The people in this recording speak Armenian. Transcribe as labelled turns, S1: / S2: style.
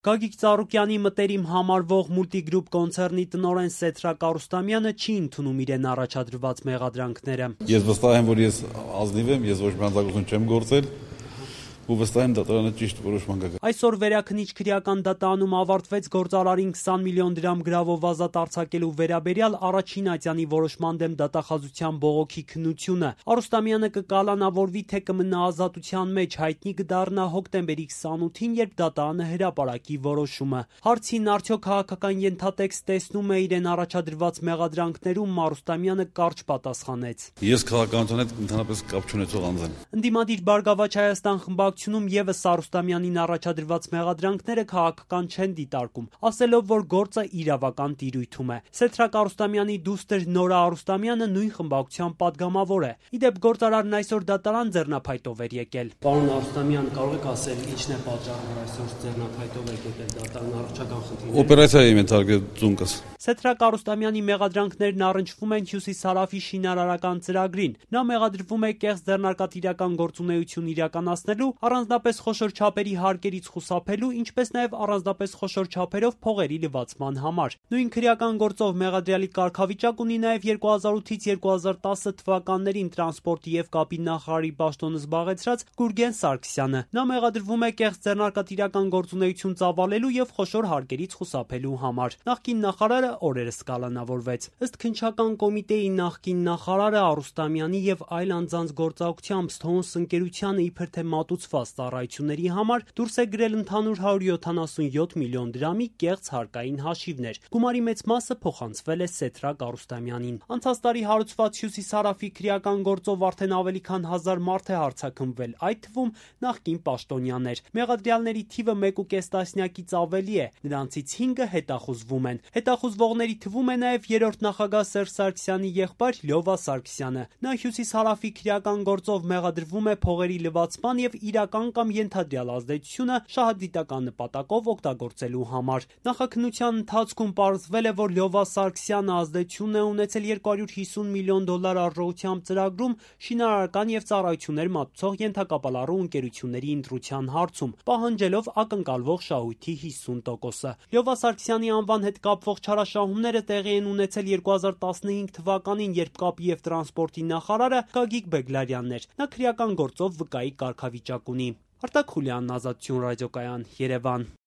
S1: Գագիկ Ծառուկյանի մտերիմ համարվող մուլտիգրուպ կոնցեռնի տնօրեն Սեթրակ Արուստամյանը չի ընդունում իրեն առաջադրված մեղադրանքները։
S2: Ես վստահ եմ, որ ես ազնիվ եմ, ես ոչ մի հանցագործություն չեմ գործել ու վստահ եմ դատարանը ճիշտ որոշման կգա։
S1: Այսօր Վերաքնիչ քրեական դատարանում ավարտվեց գործարարին 20 միլիոն դրամ գրավով ազատ արձակելու վերաբերյալ առաջին ատյանի որոշման դեմ դատախազության բողոքի քննությունը։ Արուստամյանը կկալանավորվի, թե կմնա ազատության մեջ, հայտնի կդառնա հոկտեմբերի 28-ին, երբ դատարանը հրապարակի որոշումը։ Հարցին արդյոք քաղաքական ենթատեքստ տեսնում է իրեն առաջադրված մեղադրանքներում, Արուստամյանը կարճ պատասխանեց.
S2: Ես քաղաքականության հետ ընդհանրապես կապ չունեցող անձ եմ։
S1: Ընդդիմադիր Բարգավաճ Հայաստան խմբակցությունում եւս Արուստամյանին առաջադրված մեղադրանքները քաղաքական չեն դիտարկում, ասելով, որ գործը իրավական տիրույթում է։ Սեթրակ Արուստամյանի դուստր Նորա Արուստամյանը նույն խմբակցության падգամավոր է։ Իդեպ գործարարն այսօր դատարան ձեռնափայտով էր եկել։ Պարոն Արուստամյան, կարող եք ասել, ինչն է պատճառը, որ այսօր ձեռնափայտով եք եկել դատարան, առողջական խնդիրներ։
S2: Օպերացիա եմ ենթարկել ծունկս։
S1: Սեթրակ Արուստամյանի մեղադրանքներն առնչվում են Հյուսիսարավի շինարարական ծրագրին։ Նա մեղադրվում է կեղծ ձեռնարկատիրական գործունեություն իրականացնելու, առանձնապես խոշոր չափերի հարկերից խուսափելու, ինչպես նաև առանձնապես խոշոր չափերով փողերի լվացման համար։ Նույն քրեական գործով մեղադրյալի կարգավիճակ ունի նաև 2008-ից 2010 թվականներին տրանսպորտի եւ կապի նախարարի պաշտոնը զբաղեցրած Գուրգեն Սարգսյանը։ Նա մեղադրվում է կեղծ ձեռնարկատիրական գործունեություն ծավալելու եւ խոշոր հարկերից խուսափելու համար։ Նախկին նախարարը օրերս կալանավորվեց։ Ըստ քննչական կոմիտեի նախկին նախարարը Արուստամյանի եւ այլ անձանց գործողությամբ Stones ընկերությանը իբր թե մատուցված ծառայությունների համար դուրս է գրել ընդհանուր 177 միլիոն դրամի կեղծ հարկային հաշիվներ։ Գումարի մեծ մասը փոխանցվել է Սեթրակ Արուստամյանին։ Անցած տարի հարուցված Հյուսիսարավի քրեական գործով արդեն ավելի քան 1000 մարդ է հարձակումվել, այդ թվում նախկին պաշտոնյաներ։ Մեղադրյալների թիվը 1.5 տասնյակից ավելի է, նրանցից 5-ը հետախուզվում են։ Հետախուզվողների թվում է նաև երրորդ նախագահ Սերժ Սարգսյանի եղբայր Լյովա Սարգսյանը։ Նա Հյուսիսարավի քրեական գործով մեղադրվում է փողերի լվացման եւ իրական կամ ենթադրյալ ազդեցությունը շահադիտական նպատակով օգտագործելու համար։ Նախաքննության ընթացքում պարզվել է, որ Լյովա Սարգսյանը ազդեցություն է ունեցել $250 միլիոն արժողությամբ ծրագրում շինարարական եւ ծառայություններ մատուցող ենթակապալառու ընկերությունների ընտրության հարցում, պահանջելով ակնկալվող շահույթի 50%-ը։ Լյովա Սարգսյանի անվան հետ կապվող չարաշահումները տեղի են ունեցել 2015 թվականին, երբ կապի եւ տրանսպորտի նախարարը Գագիկ Բեգլարյանն էր։ Նա քրեական գործով վկայի կարգավիճակ ունի։ Արտակ Խուլյանն, Ազատություն ռադիոկայան, Երևան։